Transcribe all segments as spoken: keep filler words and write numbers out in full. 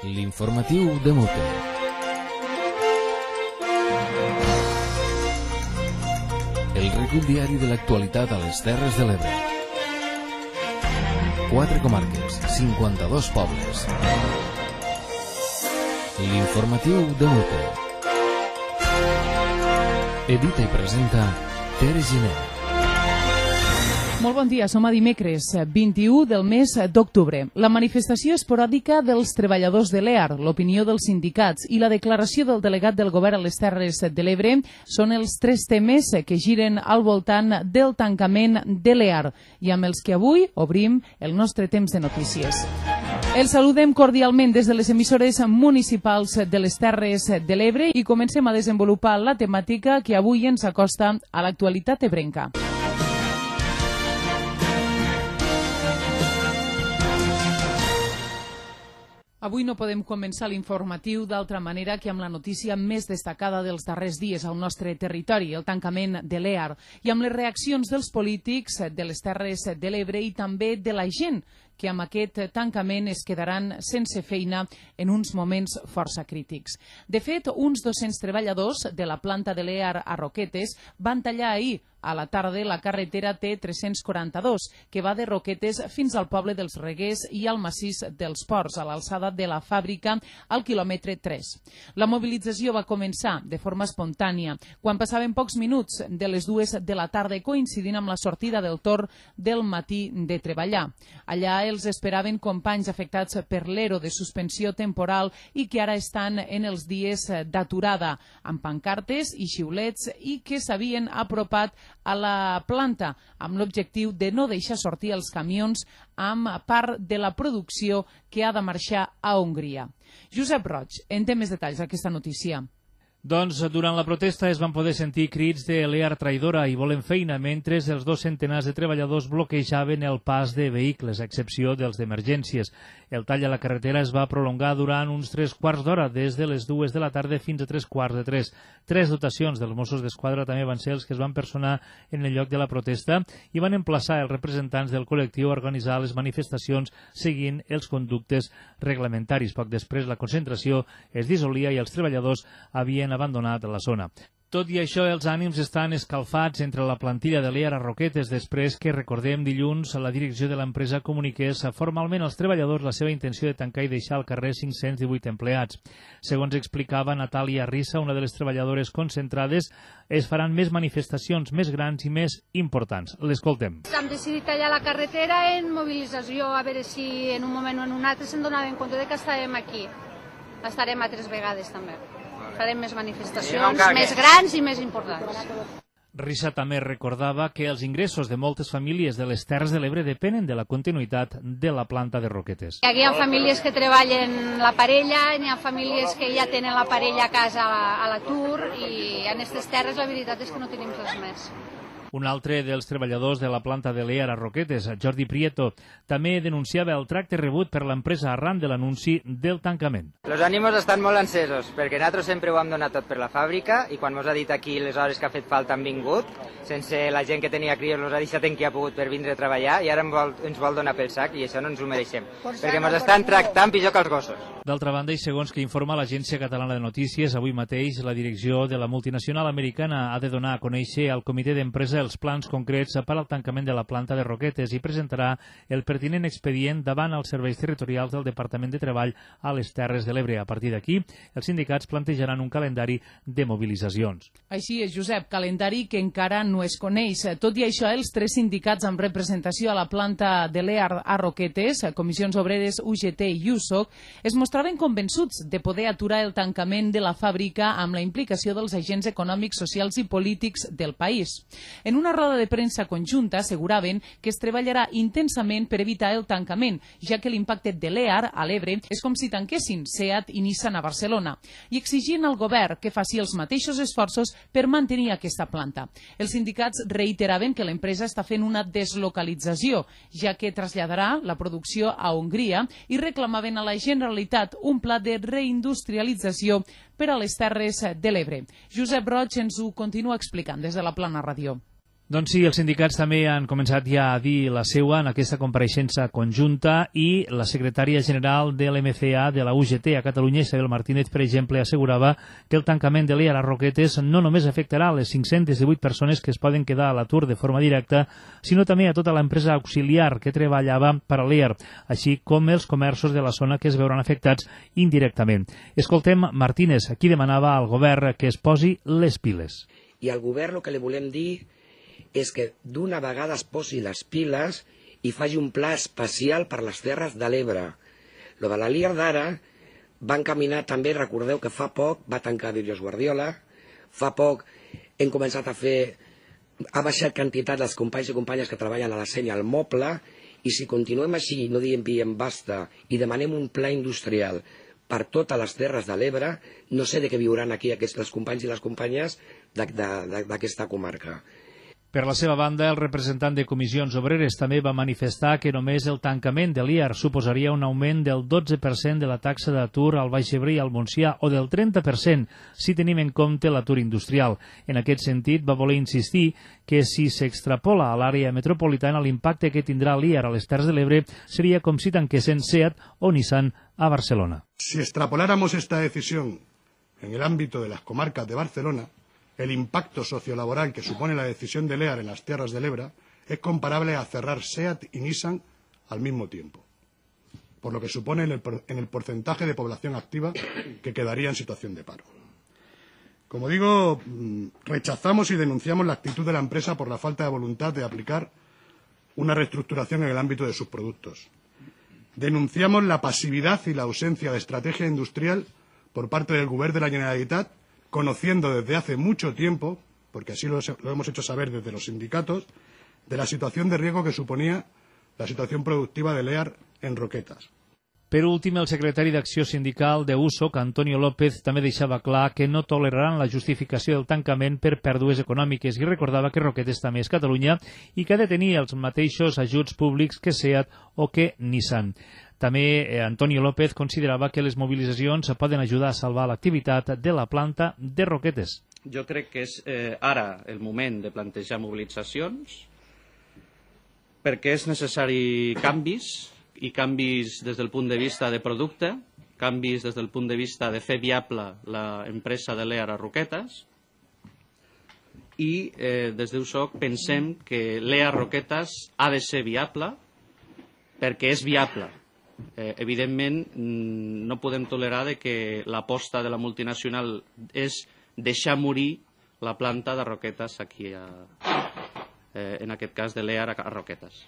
L'informatiu de Mote. El recull diari de l'actualitat a les Terres de l'Ebre. Quatre comarques, cinquanta-dos pobles. L'informatiu de Mote. Edita i presenta Tere Giner. Molt bon dia, som a dimecres, vint-i-u del mes d'octubre. La manifestació esporàdica dels treballadors de l'E A R, l'opinió dels sindicats i la declaració del delegat del govern a les Terres de l'Ebre són els tres temes que giren al voltant del tancament de l'E A R i amb els que avui obrim el nostre temps de notícies. Els saludem cordialment des de les emissores municipals de les Terres de l'Ebre i comencem a desenvolupar la temàtica que avui ens acosta a l'actualitat ebrenca. Avui no podem començar l'informatiu d'altra manera que amb la notícia més destacada dels darrers dies al nostre territori, el tancament de l'E A R, i amb les reaccions dels polítics de les Terres de l'Ebre i també de la gent que amb aquest tancament es quedaran sense feina en uns moments força crítics. De fet, uns dos-cents treballadors de la planta de l'E A R a Roquetes van tallar ahir a la tarda la carretera T tres-cents quaranta-dos, que va de Roquetes fins al poble dels Reguers i al massís dels Ports, a l'alçada de la fàbrica, al quilòmetre tres. La mobilització va començar de forma espontània, quan passaven pocs minuts de les dues de la tarda, coincidint amb la sortida del torn del matí de treballar. Allà els esperaven companys afectats per l'Ero de suspensió temporal i que ara estan en els dies d'aturada, amb pancartes i xiulets i que s'havien apropat a la planta amb l'objectiu de no deixar sortir els camions amb part de la producció que ha de marxar a Hongria. Josep Roig, en té més detalls d'aquesta notícia. Doncs durant la protesta es van poder sentir crits de l'E A R traïdora i volem feina, mentre els dos centenars de treballadors bloquejaven el pas de vehicles, a excepció dels d'emergències. El tall a la carretera es va prolongar durant uns tres quarts d'hora, des de les dues de la tarda fins a tres quarts de tres. Tres dotacions dels Mossos d'Esquadra també van ser els que es van personar en el lloc de la protesta i van emplaçar els representants del col·lectiu a organitzar les manifestacions seguint els conductes reglamentaris. Poc després la concentració es dissolia i els treballadors havien abandonat la zona. Tot i això, els ànims estan escalfats entre la plantilla de l'E A R a Roquetes després que, recordem, dilluns la direcció de l'empresa comuniqués formalment als treballadors la seva intenció de tancar i deixar al carrer cinc-cents divuit empleats. Segons explicava Natàlia Rissa, una de les treballadores concentrades, es faran més manifestacions més grans i més importants. L'escoltem. Hem decidit tallar la carretera en mobilització, a veure si en un moment o en un altre se'n donaven compte de que estàvem aquí. Estarem altres vegades també. Farem més manifestacions, més grans i més importants. Rissa també recordava que els ingressos de moltes famílies de les Terres de l'Ebre depenen de la continuïtat de la planta de Roquetes. Aquí hi ha famílies que treballen la parella, hi ha famílies que ja tenen la parella a casa a l'atur i en aquestes terres la veritat és que no tenim res més. Un altre dels treballadors de la planta de l'E A R a Roquetes, Jordi Prieto, també denunciava el tracte rebut per l'empresa arran de l'anunci del tancament. Els ànims estan molt encesos, perquè nosaltres sempre ho hem donat tot per la fàbrica i quan ens ha dit aquí les hores que ha fet falta han vingut, sense la gent que tenia crios els ha deixat en qui ha pogut per vindre a treballar i ara ens vol, ens vol donar pel sac i això no ens ho mereixem, perquè ens estan tractant pitjor que els gossos. D'altra banda, i segons que informa l'Agència Catalana de Notícies, avui mateix la direcció de la multinacional americana ha de donar a conèixer al comitè d'empresa els plans concrets per al tancament de la planta de Roquetes i presentarà el pertinent expedient davant els serveis territorials del Departament de Treball a les Terres de l'Ebre. A partir d'aquí, els sindicats plantejaran un calendari de mobilitzacions. Així és, Josep, calendari que encara no es coneix. Tot i això, els tres sindicats amb representació a la planta de l'E A R a Roquetes, Comissions Obreres, U G T i U S O C, es mostraven convençuts de poder aturar el tancament de la fàbrica amb la implicació dels agents econòmics, socials i polítics del país. En una roda de premsa conjunta asseguraven que es treballarà intensament per evitar el tancament, ja que l'impacte de l'E A R a l'Ebre és com si tanquessin SEAT i Nissan a Barcelona, i exigien al govern que faci els mateixos esforços per mantenir aquesta planta. Els sindicats reiteraven que l'empresa està fent una deslocalització, ja que traslladarà la producció a Hongria i reclamaven a la Generalitat un pla de reindustrialització per a les Terres de l'Ebre. Josep Roig ens ho continua explicant des de la Plana Ràdio. Doncs sí, els sindicats també han començat ja a dir la seua en aquesta compareixença conjunta i la secretària general de l'M C A de la U G T a Catalunya, Isabel Martínez, per exemple, assegurava que el tancament de l'E A R a Roquetes no només afectarà les cinc-centes divuit persones que es poden quedar a l'atur de forma directa, sinó també a tota l'empresa auxiliar que treballava per a l'E A R, així com els comerços de la zona que es veuran afectats indirectament. Escoltem Martínez, qui demanava al govern que es posi les piles. I al govern el que li volem dir és que d'una vegada es posi les piles i faci un pla especial per les Terres de l'Ebre. Lo de la L I A R d'ara va encaminar també, recordeu que fa poc va tancar Vídeos Guardiola, fa poc hem començat a fer, ha baixat quantitat dels companys i companyes que treballen a la senya al moble, i si continuem així, no diem diem basta, i demanem un pla industrial per totes les Terres de l'Ebre, no sé de què viuran aquí aquests, els companys i les companyes d'aquesta comarca. Per la seva banda, el representant de Comissions Obreres també va manifestar que només el tancament de l'I A R suposaria un augment del dotze per cent de la taxa d'atur al Baix Ebre i al Montsià o del trenta per cent si tenim en compte l'atur industrial. En aquest sentit, va voler insistir que si s'extrapola a l'àrea metropolitana l'impacte que tindrà l'I A R a les Terres de l'Ebre seria com si tanquessin SEAT o Nissan a Barcelona. Si extrapoláramos esta decisión en el ámbito de las comarcas de Barcelona, el impacto sociolaboral que supone la decisión de L E A R en las Terres del Ebro es comparable a cerrar SEAT y Nissan al mismo tiempo, por lo que supone en el, en el porcentaje de población activa que quedaría en situación de paro. Como digo, rechazamos y denunciamos la actitud de la empresa por la falta de voluntad de aplicar una reestructuración en el ámbito de sus productos. Denunciamos la pasividad y la ausencia de estrategia industrial por parte del Govern de la Generalitat, conociendo desde hace mucho tiempo, porque así lo, lo hemos hecho saber desde los sindicatos, de la situación de riesgo que suponía la situación productiva de l'E A R en Roquetas. Per últim, el secretari d'Acció Sindical de U S O C, Antonio López, també deixava clar que no toleraran la justificació del tancament per pèrdues econòmiques i recordava que Roquetes també és Catalunya i que ha de tenir els mateixos ajuts públics que SEAT o que Nissan. També eh, Antonio López considerava que les mobilitzacions poden ajudar a salvar l'activitat de la planta de Roquetes. Jo crec que és eh, ara el moment de plantejar mobilitzacions perquè és necessari canvis, i canvis des del punt de vista de producte, canvis des del punt de vista de fer viable l'empresa de l'E A R a Roquetes, i eh, des d'U S O C pensem que l'E A R Roquetes ha de ser viable perquè és viable. Eh, evidentment, no podem tolerar de que l'aposta de la multinacional és deixar morir la planta de Roquetes aquí, a, eh, en aquest cas de l'E A R a Roquetes.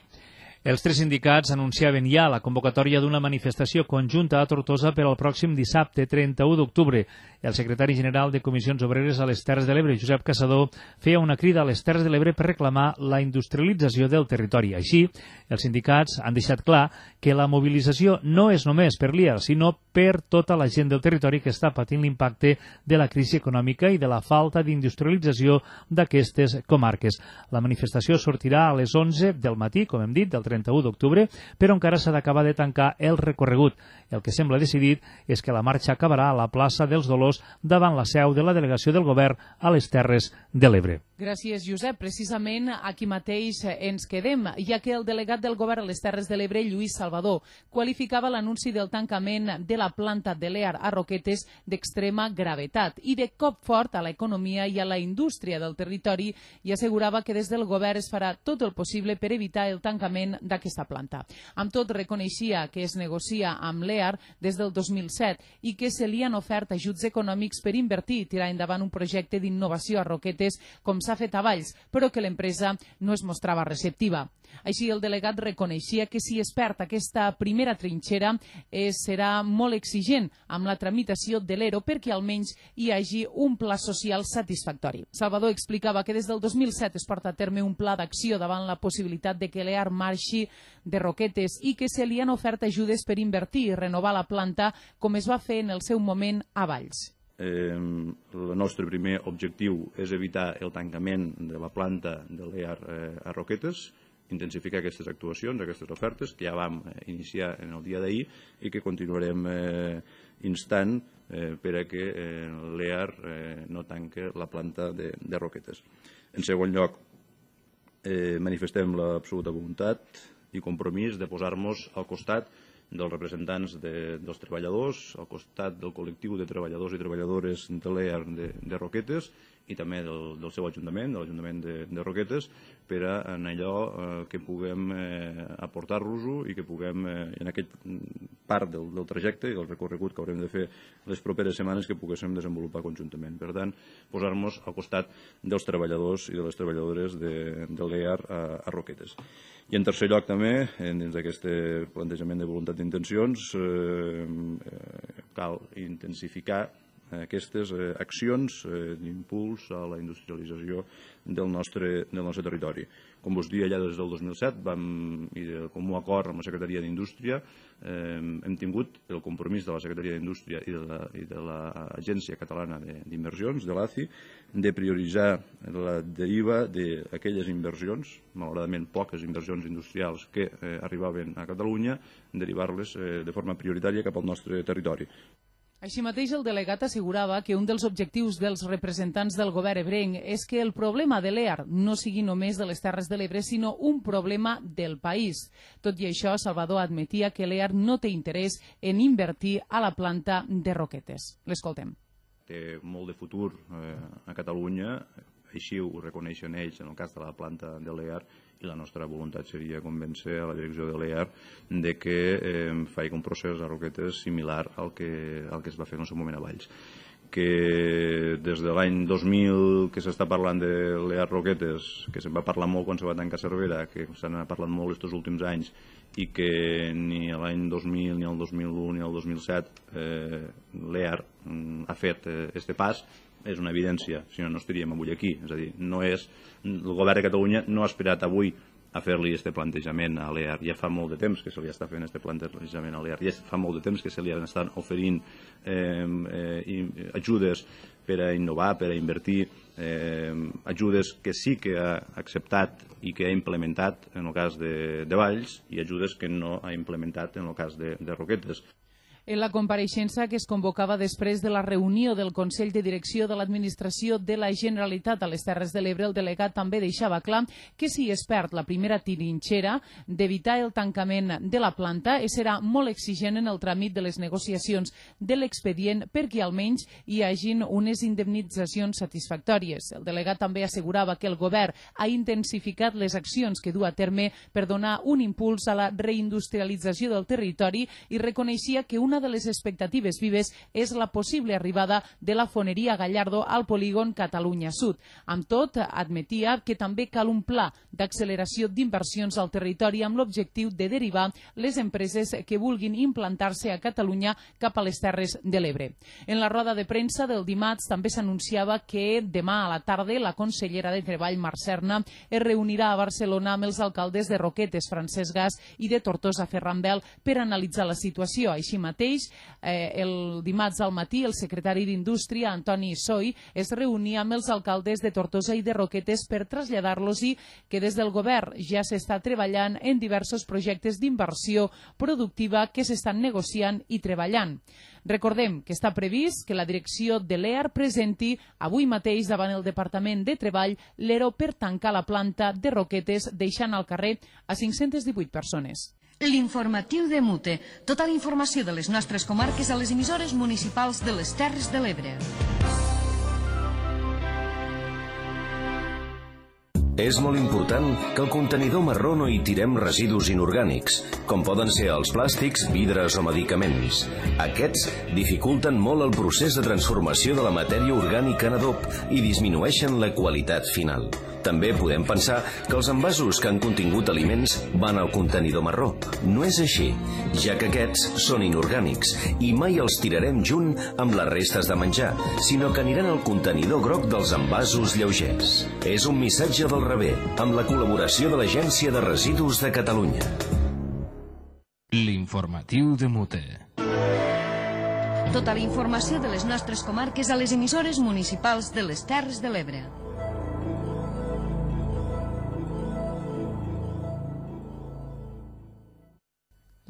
Els tres sindicats anunciaven ja la convocatòria d'una manifestació conjunta a Tortosa per al pròxim dissabte trenta-u d'octubre. El secretari general de Comissions Obreres a les Terres de l'Ebre, Josep Caçador, feia una crida a les Terres de l'Ebre per reclamar la industrialització del territori. Així, els sindicats han deixat clar que la mobilització no és només per l'I A R, sinó per tota la gent del territori que està patint l'impacte de la crisi econòmica i de la falta d'industrialització d'aquestes comarques. La manifestació sortirà a les onze del matí, com hem dit, del trenta-u d'octubre, però encara s'ha d'acabar de tancar el recorregut. El que sembla decidit és que la marxa acabarà a la plaça dels Dolors davant la seu de la delegació del govern a les Terres de l'Ebre. Gràcies, Josep. Precisament aquí mateix ens quedem, ja que el delegat del govern a les Terres de l'Ebre, Lluís Salvador, qualificava l'anunci del tancament de la planta de l'E A R a Roquetes d'extrema gravetat i de cop fort a l'economia i a la indústria del territori, i assegurava que des del govern es farà tot el possible per evitar el tancament d'aquesta planta. Amb tot, reconeixia que es negocia amb l'E A R des del dos mil set i que se li han ofert ajuts econòmics per invertir i tirar endavant un projecte d'innovació a Roquetes com s'ha fet a Valls, però que l'empresa no es mostrava receptiva. Així, el delegat reconeixia que si es perd aquesta primera trinxera eh, serà molt exigent amb la tramitació de l'ERO perquè almenys hi hagi un pla social satisfactori. Salvador explicava que des del dos mil set es porta a terme un pla d'acció davant la possibilitat de que l'E A R marxi de Roquetes i que se li han ofert ajudes per invertir i renovar la planta com es va fer en el seu moment a Valls. Eh, el nostre primer objectiu és evitar el tancament de la planta de l'E A R eh, a Roquetes, intensificar aquestes actuacions, aquestes ofertes que ja vam iniciar en el dia d'ahir i que continuarem eh, instant eh, per a que eh, l'E A R eh, no tanque la planta de, de Roquetes. En segon lloc, eh, manifestem l'absoluta voluntat i compromís de posar-nos al costat dels representants de, dels treballadors, al costat del col·lectiu de treballadors i treballadores de l'E A R de, de Roquetes i també del, del seu ajuntament, de l'Ajuntament de, de Roquetes, per a en allò eh, que puguem eh, aportar-los-ho i que puguem, eh, en aquest part del, del trajecte i del recorregut que haurem de fer les properes setmanes, que poguéssim desenvolupar conjuntament. Per tant, posar-nos al costat dels treballadors i de les treballadores de, de l'E A R a, a Roquetes. I en tercer lloc també, dins d'aquest plantejament de voluntat d'intencions, eh, eh, cal intensificar aquestes eh, accions eh, d'impuls a la industrialització del nostre, del nostre territori. Com vos dia, ja des del dos mil set, vam, i de comú acord amb la Secretaria d'Indústria, eh, hem tingut el compromís de la Secretaria d'Indústria i de l'Agència Catalana d'Inversions, de l'A C I, de prioritzar la deriva d'aquelles inversions, malauradament poques inversions industrials que eh, arribaven a Catalunya, derivar-les eh, de forma prioritària cap al nostre territori. Així mateix, el delegat assegurava que un dels objectius dels representants del govern ebrenc és que el problema de l'E A R no sigui només de les Terres de l'Ebre, sinó un problema del país. Tot i això, Salvador admetia que l'E A R no té interès en invertir a la planta de Roquetes. L'escoltem. Té molt de futur eh, a Catalunya, així ho reconeixen ells en el cas de la planta de l'E A R, i la nostra voluntat seria convèncer a la direcció de l'E A R de que eh, faci un procés a Roquetes similar al que, al que es va fer en el seu moment a Valls. Que des de l'any dos mil que s'està parlant de l'E A R Roquetes, que se'n va parlar molt quan se va tancar Cervera, que se n'ha parlat molt aquests últims anys, i que ni l'any dos mil, ni el dos mil u, ni el dos mil set eh, l'E A R mm, ha fet aquest eh, pas, és una evidència, si no, no estaríem avui aquí. És a dir, no és, el govern de Catalunya no ha esperat avui a fer-li aquest plantejament a l'E A R. Ja fa molt de temps que se li està fent aquest plantejament a l'E A R. Ja fa molt de temps que se li estan oferint eh, eh, ajudes per a innovar, per a invertir, eh, ajudes que sí que ha acceptat i que ha implementat en el cas de, de Valls, i ajudes que no ha implementat en el cas de, de Roquetes. En la compareixença que es convocava després de la reunió del Consell de Direcció de l'Administració de la Generalitat a les Terres de l'Ebre, el delegat també deixava clar que si es perd la primera trinxera d'evitar el tancament de la planta, serà molt exigent en el tràmit de les negociacions de l'expedient perquè almenys hi hagin unes indemnitzacions satisfactòries. El delegat també assegurava que el govern ha intensificat les accions que du a terme per donar un impuls a la reindustrialització del territori i reconeixia que una de les expectatives vives és la possible arribada de la foneria Gallardo al polígon Catalunya Sud. Amb tot, admetia que també cal un pla d'acceleració d'inversions al territori amb l'objectiu de derivar les empreses que vulguin implantar-se a Catalunya cap a les Terres de l'Ebre. En la roda de premsa del dimarts també s'anunciava que demà a la tarda la consellera de Treball, Mar Serna, es reunirà a Barcelona amb els alcaldes de Roquetes, Francesc Gas, i de Tortosa, Ferran Bel, per analitzar la situació. Així mateix, eh, el dimarts al matí, el secretari d'Indústria, Antoni Soy, es reunia amb els alcaldes de Tortosa i de Roquetes per traslladar-los-hi que des del govern ja s'està treballant en diversos projectes d'inversió productiva que s'estan negociant i treballant. Recordem que està previst que la direcció de l'E A R presenti avui mateix davant el Departament de Treball l'E R O per tancar la planta de Roquetes, deixant al carrer a cinc-centes divuit persones. L'informatiu de Mute. Tota la informació de les nostres comarques a les emissores municipals de les Terres de l'Ebre. És molt important que al contenidor marró no hi tirem residus inorgànics, com poden ser els plàstics, vidres o medicaments. Aquests dificulten molt el procés de transformació de la matèria orgànica en adob i disminueixen la qualitat final. També podem pensar que els envasos que han contingut aliments van al contenidor marró. No és així, ja que aquests són inorgànics i mai els tirarem junt amb les restes de menjar, sinó que aniran al contenidor groc dels envasos lleugers. És un missatge del rebé, amb la col·laboració de l'Agència de Residus de Catalunya. L'informatiu de Mute. Tota la informació de les nostres comarques a les emissores municipals de les Terres de l'Ebre.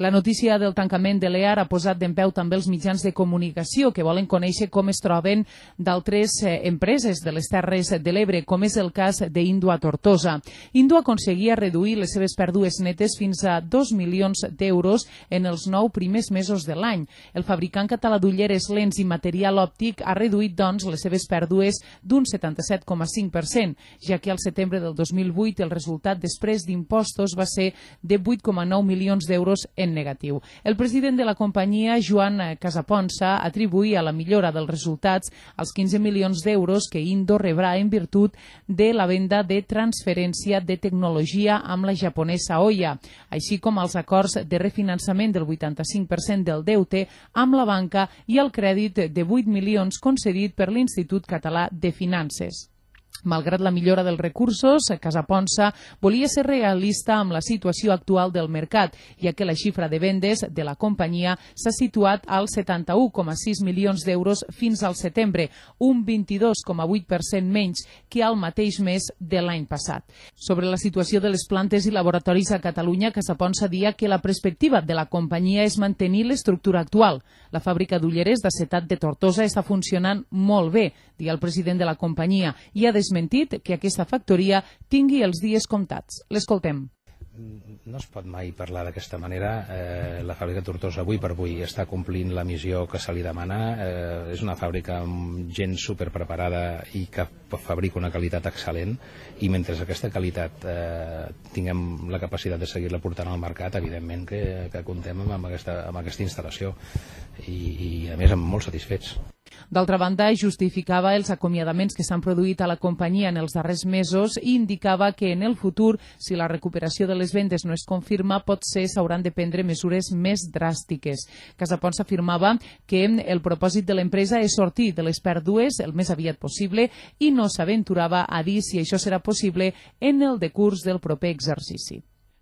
La notícia del tancament de l'E A R ha posat d'empeu també els mitjans de comunicació que volen conèixer com es troben d'altres eh, empreses de les Terres de l'Ebre, com és el cas d'Indo a Tortosa. Indo aconseguia reduir les seves pèrdues netes fins a dos milions d'euros en els nou primers mesos de l'any. El fabricant català d'ulleres, lents i material òptic ha reduït, doncs, les seves pèrdues d'un setanta-set coma cinc per cent, ja que al setembre del dos mil vuit el resultat després d'impostos va ser de vuit coma nou milions d'euros en negatiu. El president de la companyia, Joan Casaponsa, atribuïa la millora dels resultats als quinze milions d'euros que Indo rebrà en virtut de la venda de transferència de tecnologia amb la japonesa Oya, així com els acords de refinançament del vuitanta-cinc per cent del deute amb la banca i el crèdit de vuit milions concedit per l'Institut Català de Finances. Malgrat la millora dels recursos, Casaponsa volia ser realista amb la situació actual del mercat, ja que la xifra de vendes de la companyia s'ha situat als setanta-u coma sis milions d'euros fins al setembre, un vint-i-dos coma vuit per cent menys que al mateix mes de l'any passat. Sobre la situació de les plantes i laboratoris a Catalunya, Casaponsa dia que la perspectiva de la companyia és mantenir l'estructura actual. La fàbrica d'ulleres d'acetat de Tortosa està funcionant molt bé, dia el president de la companyia, i ha desmentit que aquesta factoria tingui els dies comptats. L'escoltem. No es pot mai parlar d'aquesta manera. Eh, la fàbrica Tortosa avui per avui està complint la missió que se li demana. Eh, és una fàbrica amb gent superpreparada i que fabrica una qualitat excel·lent, i mentre aquesta qualitat eh, tinguem la capacitat de seguir-la portant al mercat, evidentment que, que comptem amb aquesta, amb aquesta instal·lació i, i a més amb molt satisfets. D'altra banda, justificava els acomiadaments que s'han produït a la companyia en els darrers mesos i indicava que en el futur, si la recuperació de les vendes no es confirma, potser s'hauran de prendre mesures més dràstiques. Casaponsa afirmava que el propòsit de l'empresa és sortir de les pèrdues el més aviat possible i no s'aventurava a dir si això serà possible en el decurs del proper exercici.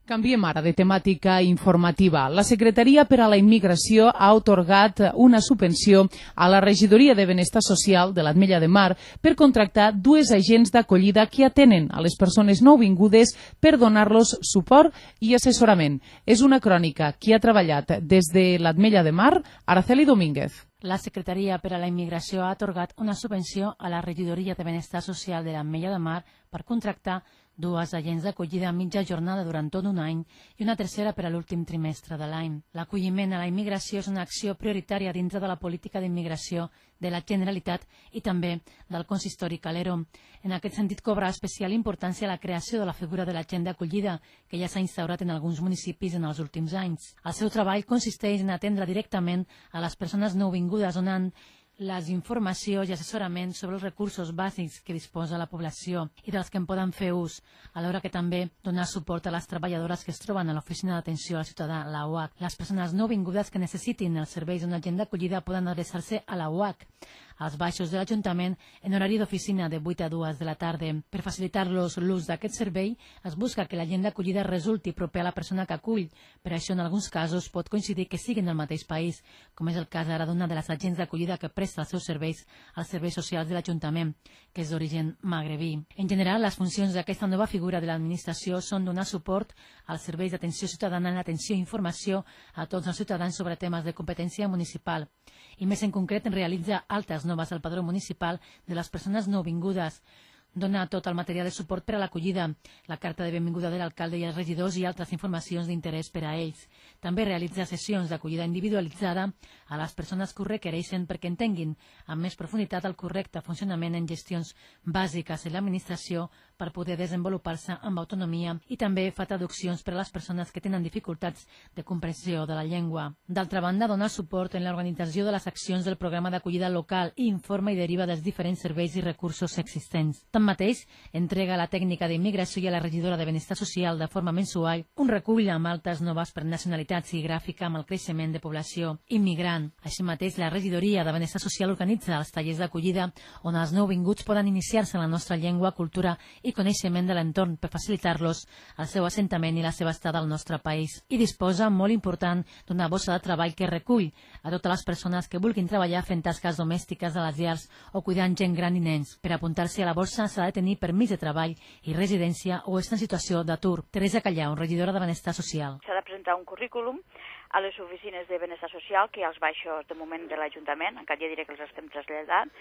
Canviem ara de temàtica informativa. La Secretaria per a la Immigració ha atorgat una subvenció a la Regidoria de Benestar Social de l'Ametlla de Mar per contractar dues agents d'acollida que atenen a les persones nouvingudes per donar-los suport i assessorament. És una crònica que ha treballat des de l'Ametlla de Mar, Araceli Domínguez. La Secretaria per a la Immigració ha atorgat una subvenció a la Regidoria de Benestar Social de l'Ametlla de Mar per contractar dues agents d'acollida a mitja jornada durant tot un any i una tercera per a l'últim trimestre de l'any. L'acolliment a la immigració és una acció prioritària dintre de la política d'immigració de la Generalitat i també del consistori Calero. En aquest sentit, cobra especial importància la creació de la figura de l'agent d'acollida, que ja s'ha instaurat en alguns municipis en els últims anys. El seu treball consisteix en atendre directament a les persones nouvingudes, donant les informacions i assessorament sobre els recursos bàsics que disposa la població i dels que en poden fer ús, alhora que també donar suport a les treballadores que es troben a l'Oficina d'Atenció al Ciutadà, la U H C. Les persones nouvingudes que necessitin els serveis d'una agent d'acollida poden adreçar-se a la U H C, als baixos de l'Ajuntament, en horari d'oficina de vuit a dues de la tarda. Per facilitar-los l'ús d'aquest servei, es busca que l'agent d'acollida resulti proper a la persona que acull. Per això, en alguns casos, pot coincidir que siguin del mateix país, com és el cas ara d'una de les agents d'acollida que presta els seus serveis als serveis socials de l'Ajuntament, que és d'origen magrebí. En general, les funcions d'aquesta nova figura de l'administració són donar suport als serveis d'atenció ciutadana en l'atenció i informació a tots els ciutadans sobre temes de competència municipal, i més en concret en realitzar altes noves al padró municipal de les persones nouvingudes, dona tot el material de suport per a l'acollida, la carta de benvinguda de l'alcalde i els regidors i altres informacions d'interès per a ells. També realitza sessions d'acollida individualitzada a les persones que ho requereixen perquè entenguin amb més profunditat el correcte funcionament en gestions bàsiques en l'administració per poder desenvolupar-se amb autonomia, i també fa traduccions per a les persones que tenen dificultats de comprensió de la llengua. D'altra banda, dona suport en l'organització de les accions del programa d'acollida local i informa i deriva dels diferents serveis i recursos existents. Tanmateix, entrega a la tècnica d'immigració i a la regidora de Benestar Social de forma mensual un recull amb altes noves per nacionalitats i gràfica amb el creixement de població immigrant. Així mateix, la regidoria de Benestar Social organitza els tallers d'acollida on els nouvinguts poden iniciar-se en la nostra llengua, cultura i coneixement de l'entorn per facilitar-los el seu assentament i la seva estada al nostre país. I disposa, molt important, d'una bossa de treball que recull a totes les persones que vulguin treballar fent tasques domèstiques a les llars o cuidant gent gran i nens. Per apuntar-se a la borsa s'ha de tenir permís de treball i residència o estar en situació d'atur. Teresa Callau, regidora de Benestar Social. S'ha de presentar un currículum a les oficines de benestar social, que als baixos de moment de l'Ajuntament, encara ja diré que els estem traslladant,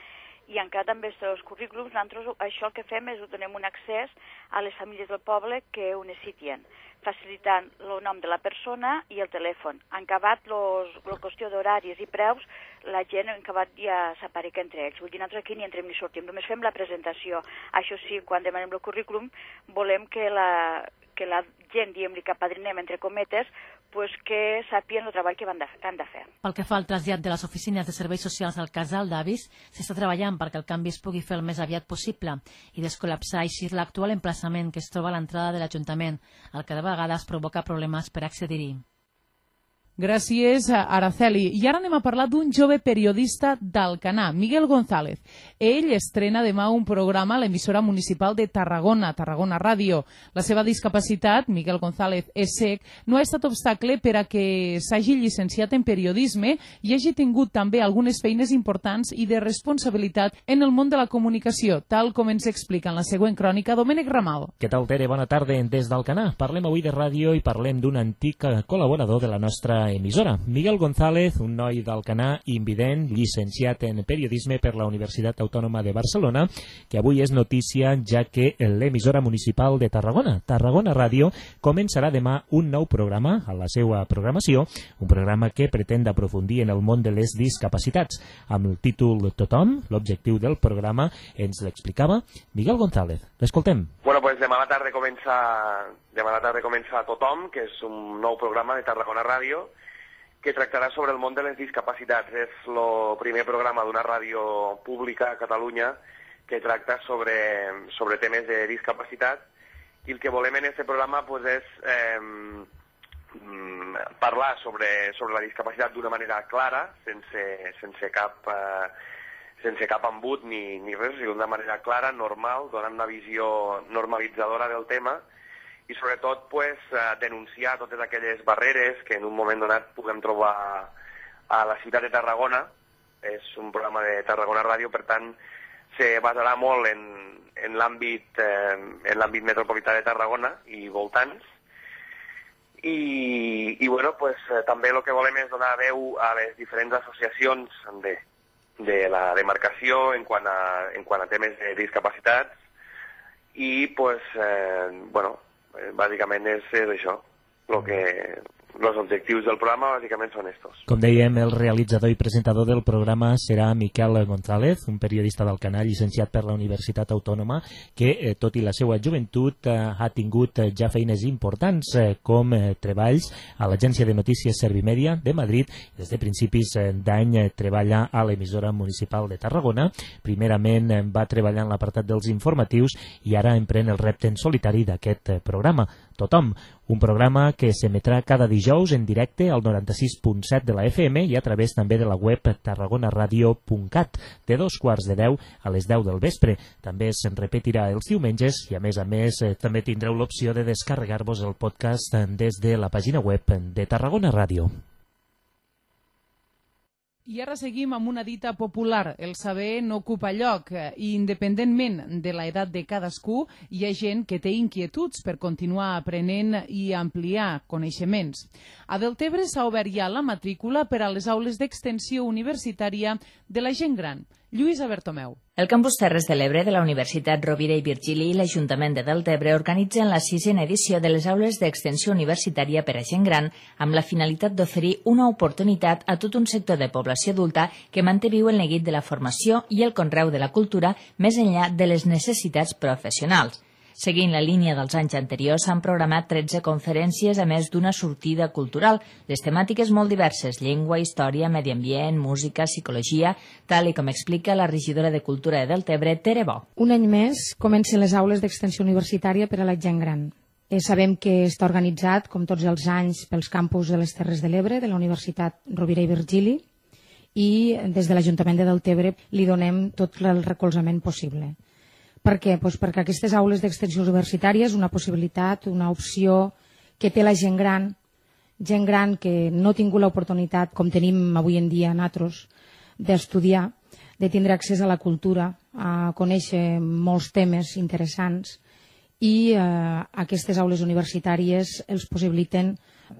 i encara també els currículums, nosaltres això el que fem és donem un accés a les famílies del poble que ho necessiten, facilitant el nom de la persona i el telèfon. Han acabat la qüestió d'horaris i preus, la gent han acabat ja s'apareca entre ells. Vull dir, nosaltres aquí ni entrem ni sortim, només fem la presentació. Això sí, quan demanem el currículum, volem que la, que la gent, diguem-li, que apadrinem, entre cometes, pues que sàpien el treball que han de, han de fer. Pel que fa al trasllat de les oficines de serveis socials al casal d'avis, s'està treballant perquè el canvi es pugui fer el més aviat possible i descol·lapsar així l'actual emplaçament que es troba a l'entrada de l'Ajuntament, el que de vegades provoca problemes per accedir-hi. Gràcies, Araceli. I ara anem a parlar d'un jove periodista d'Alcanar, Miguel González. Ell estrena demà un programa a l'emissora municipal de Tarragona, Tarragona Ràdio. La seva discapacitat, Miguel González és cec, no ha estat obstacle per a que s'hagi llicenciat en periodisme i hagi tingut també algunes feines importants i de responsabilitat en el món de la comunicació, tal com ens explica en la següent crònica Domènec Ramal. Què tal, Tere? Bona tarda des d'Alcanar. Parlem avui de ràdio i parlem d'un antic col·laborador de la nostra emissora. Miguel González, un noi d'Alcanar invident, llicenciat en periodisme per la Universitat Autònoma de Barcelona, que avui és notícia ja que l'emissora municipal de Tarragona, Tarragona Ràdio, començarà demà un nou programa a la seva programació, un programa que pretén aprofundir en el món de les discapacitats. Amb el títol Tothom, l'objectiu del programa ens l'explicava Miguel González. L'escoltem. Bueno, pues demà a la tarda comença, demà a la tarda comença Tothom, que és un nou programa de Tarragona Ràdio, que tractarà sobre el món de les discapacitats. És el primer programa d'una ràdio pública a Catalunya que tracta sobre, sobre temes de discapacitat, i el que volem en aquest programa pues, és eh, parlar sobre, sobre la discapacitat d'una manera clara, sense, sense, cap, eh, sense cap embut ni, ni res, d'una manera clara, normal, donant una visió normalitzadora del tema, i sobretot pues, denunciar totes aquelles barreres que en un moment donat puguem trobar a la ciutat de Tarragona. És un programa de Tarragona Ràdio, per tant, se basarà molt en, en l'àmbit eh, en l'àmbit metropolità de Tarragona i voltants. I, i bueno, pues, també el que volem és donar veu a les diferents associacions de, de la demarcació en quant a, en quant a temes de discapacitats i pues, eh, bueno, bàsicament és, és això, lo que, els objectius del programa bàsicament són estos. Com dèiem, el realitzador i presentador del programa serà Miquel González, un periodista d'Alcanar llicenciat per la Universitat Autònoma que, eh, tot i la seva joventut, eh, ha tingut eh, ja feines importants eh, com eh, treballs a l'agència de notícies Servimedia de Madrid. Des de principis eh, d'any eh, treballa a l'emissora municipal de Tarragona. Primerament eh, va treballar en l'apartat dels informatius i ara emprèn el repte en solitari d'aquest eh, programa, Tothom, un programa que s'emetrà cada dijous en directe al noranta-sis punt set de la F M i a través també de la web tarragonaradio punt cat, de dos quarts de deu a les deu del vespre. També se'n repetirà els diumenges i, a més a més, eh, també tindreu l'opció de descarregar-vos el podcast des de la pàgina web de Tarragona Ràdio. I ara seguim amb una dita popular: el saber no ocupa lloc, i independentment de l'edat de cadascú, hi ha gent que té inquietuds per continuar aprenent i ampliar coneixements. A Deltebre s'ha obert ja la matrícula per a les aules d'extensió universitària de la gent gran. Lluïsa Bertomeu. El Campus Terres de l'Ebre de la Universitat Rovira i Virgili i l'Ajuntament de Deltebre organitzen la sisena edició de les aules d'extensió universitària per a gent gran amb la finalitat d'oferir una oportunitat a tot un sector de població adulta que manté viu el neguit de la formació i el conreu de la cultura més enllà de les necessitats professionals. Seguint la línia dels anys anteriors, s'han programat tretze conferències a més d'una sortida cultural. Les temàtiques molt diverses: llengua, història, medi ambient, música, psicologia, tal i com explica la regidora de Cultura de Deltebre, Tere Bo. Un any més comencen les aules d'extensió universitària per a la gent gran. Eh, sabem que està organitzat, com tots els anys, pels campus de les Terres de l'Ebre, de la Universitat Rovira i Virgili, i des de l'Ajuntament de Deltebre li donem tot el recolzament possible. Per què? Pues perquè aquestes aules d'extensió universitària és una possibilitat, una opció que té la gent gran, gent gran que no ha tingut l'oportunitat, com tenim avui en dia nosaltres, d'estudiar, de tindre accés a la cultura, a conèixer molts temes interessants, i eh, aquestes aules universitàries els possibiliten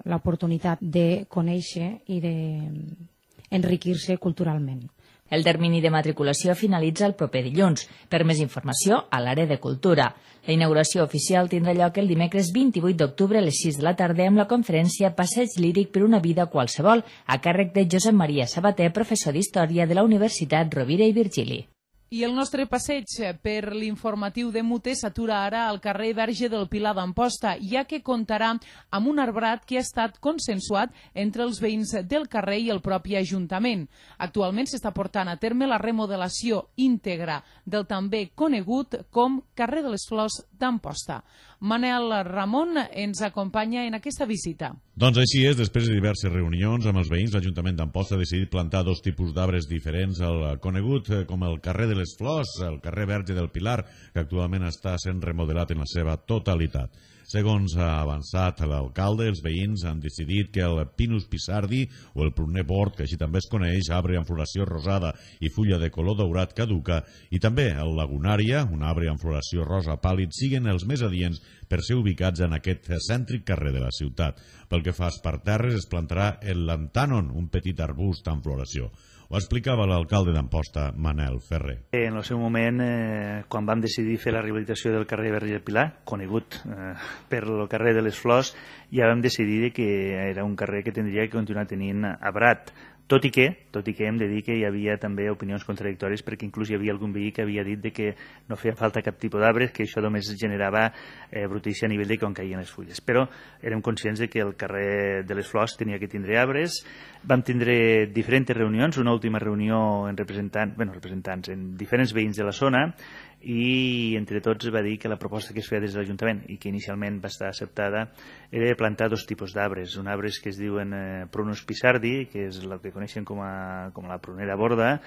l'oportunitat de conèixer i d'enriquir-se culturalment. El termini de matriculació finalitza el proper dilluns. Per més informació, a l'àrea de cultura. La inauguració oficial tindrà lloc el dimecres vint-i-vuit d'octubre a les sis de la tarda amb la conferència Passeig líric per una vida qualsevol, a càrrec de Josep Maria Sabater, professor d'Història de la Universitat Rovira i Virgili. I el nostre passeig per l'informatiu de Mute s'atura ara al carrer Verge del Pilar d'Amposta, ja que comptarà amb un arbrat que ha estat consensuat entre els veïns del carrer i el propi Ajuntament. Actualment s'està portant a terme la remodelació íntegra del també conegut com carrer de les Flors d'Amposta. Manel Ramon ens acompanya en aquesta visita. Doncs així és, després de diverses reunions amb els veïns, l'Ajuntament d'Amposta ha decidit plantar dos tipus d'arbres diferents, el conegut com el carrer de les Flors, el carrer Verge del Pilar, que actualment està sent remodelat en la seva totalitat. Segons ha avançat l'alcalde, els veïns han decidit que el Pinus Pissardi, o el pruner bord, que així també es coneix, arbre amb floració rosada i fulla de color daurat caduca, i també el Lagunària, un arbre amb floració rosa pàl·lid, siguen els més adients per ser ubicats en aquest cèntric carrer de la ciutat. Pel que fa als parterres, es plantarà el Lantànon, un petit arbust amb floració. Ho explicava l'alcalde d'Amposta, Manel Ferrer. En el seu moment, eh, quan vam decidir fer la rehabilitació del carrer Verge del Pilar, conegut eh, per el carrer de les Flors, ja vam decidir que era un carrer que tindria que continuar tenint arbrat. Tot i que, tot i que hem de dir que hi havia també opinions contradictòries, perquè inclús hi havia algun veí que havia dit de que no feia falta cap tipus d'arbres, que això només generava eh, brutícia a nivell de quan caien les fulles. Però érem conscients de que el carrer de les Flors tenia que tindre arbres. Vam tindre diferents reunions, una última reunió en representants, bueno, representants, en diferents veïns de la zona, i entre tots va dir que la proposta que es feia des de l'Ajuntament i que inicialment va estar acceptada era de plantar dos tipus d'arbres, un arbres que es diuen eh, Prunus Pissardi, que és el que coneixen com a, com a la prunera borda,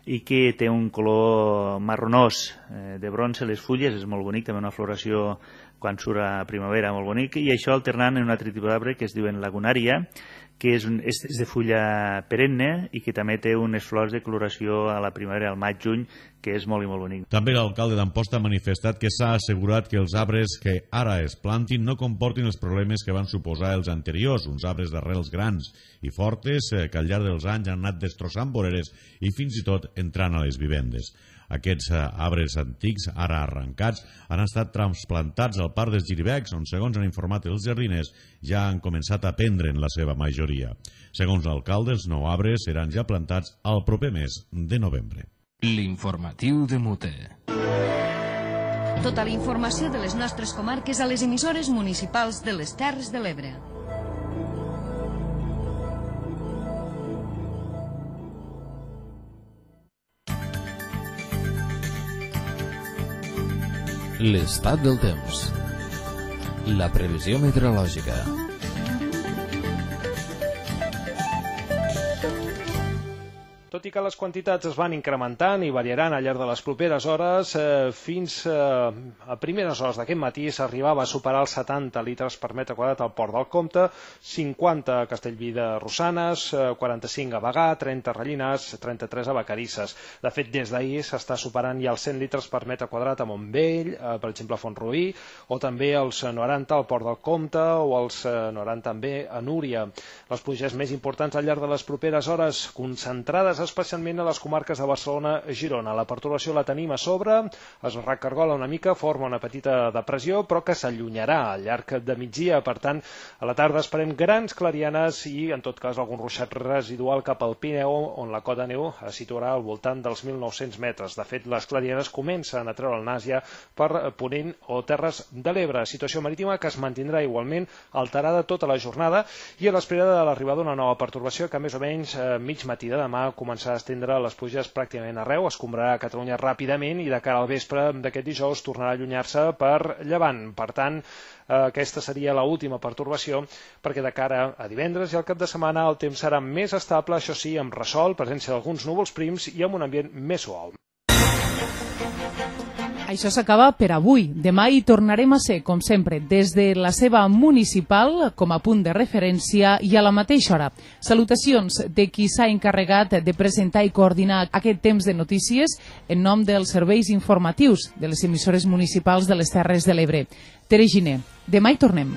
i que té un color marronós eh, de bronze, les fulles, és molt bonic, també una floració quan surt a primavera molt bonic, i això alternant en un altre tipus d'arbre que es diuen Lagunària, que és, un, és de fulla perenne i que també té unes flors de coloració a la primavera, al maig-juny, que és molt i molt bonic. També l'alcalde d'Amposta ha manifestat que s'ha assegurat que els arbres que ara es plantin no comportin els problemes que van suposar els anteriors, uns arbres d'arrels grans i fortes que al llarg dels anys han anat destrossant voreres i fins i tot entrant a les vivendes. Aquests arbres antics, ara arrencats, han estat transplantats al Parc dels Giribecs, on, segons han informat els jardiners, ja han començat a prendre en la seva majoria. Segons l'alcalde, els nou arbres seran ja plantats al proper mes de novembre. L'informatiu de Mute. Tota la informació de les nostres comarques a les emissores municipals de les Terres de l'Ebre. L'estat del temps. La previsió meteorològica. Tot i que les quantitats es van incrementant i variaran al llarg de les properes hores, eh, fins eh, a primeres hores d'aquest matí s'arribava a superar els setanta litres per metre quadrat al Port del Comte, cinquanta a Castellví de Rosanes, eh, quaranta-cinc a Bagà, trenta a Rellinars, trenta-tres a Vacarisses. De fet, des d'ahir s'està superant ja els cent litres per metre quadrat a Montbell, eh, per exemple a Font-rubí, o també els noranta al Port del Comte o els eh, noranta també a Núria. Les pluges més importants al llarg de les properes hores, concentrades especialment a les comarques de Barcelona i Girona. La pertorbació la tenim a sobre, es recargola una mica, forma una petita depressió, però que s'allunyarà al llarg de migdia. Per tant, a la tarda esperem grans clarianes i, en tot cas, algun ruixat residual cap al Pirineu, on la cota de neu es situarà al voltant dels mil nou-cents metres. De fet, les clarianes comencen a treure el nas ja per Ponent o Terres de l'Ebre. Situació marítima que es mantindrà igualment alterada tota la jornada i a l'espera de l'arribada d'una nova pertorbació que més o menys eh, mig matí de demà començarà a estendre les pluges pràcticament arreu, escombrarà a Catalunya ràpidament i de cara al vespre d'aquest dijous tornarà a allunyar-se per llevant. Per tant, aquesta seria l'última pertorbació, perquè de cara a divendres i al cap de setmana el temps serà més estable, això sí, amb ressol, presència d'alguns núvols prims i amb un ambient més suau. Això s'acaba per avui. Demà hi tornarem a ser, com sempre, des de la seva municipal, com a punt de referència i a la mateixa hora. Salutacions de qui s'ha encarregat de presentar i coordinar aquest temps de notícies en nom dels serveis informatius de les emissores municipals de les Terres de l'Ebre. Tere Giner, demà hi tornem.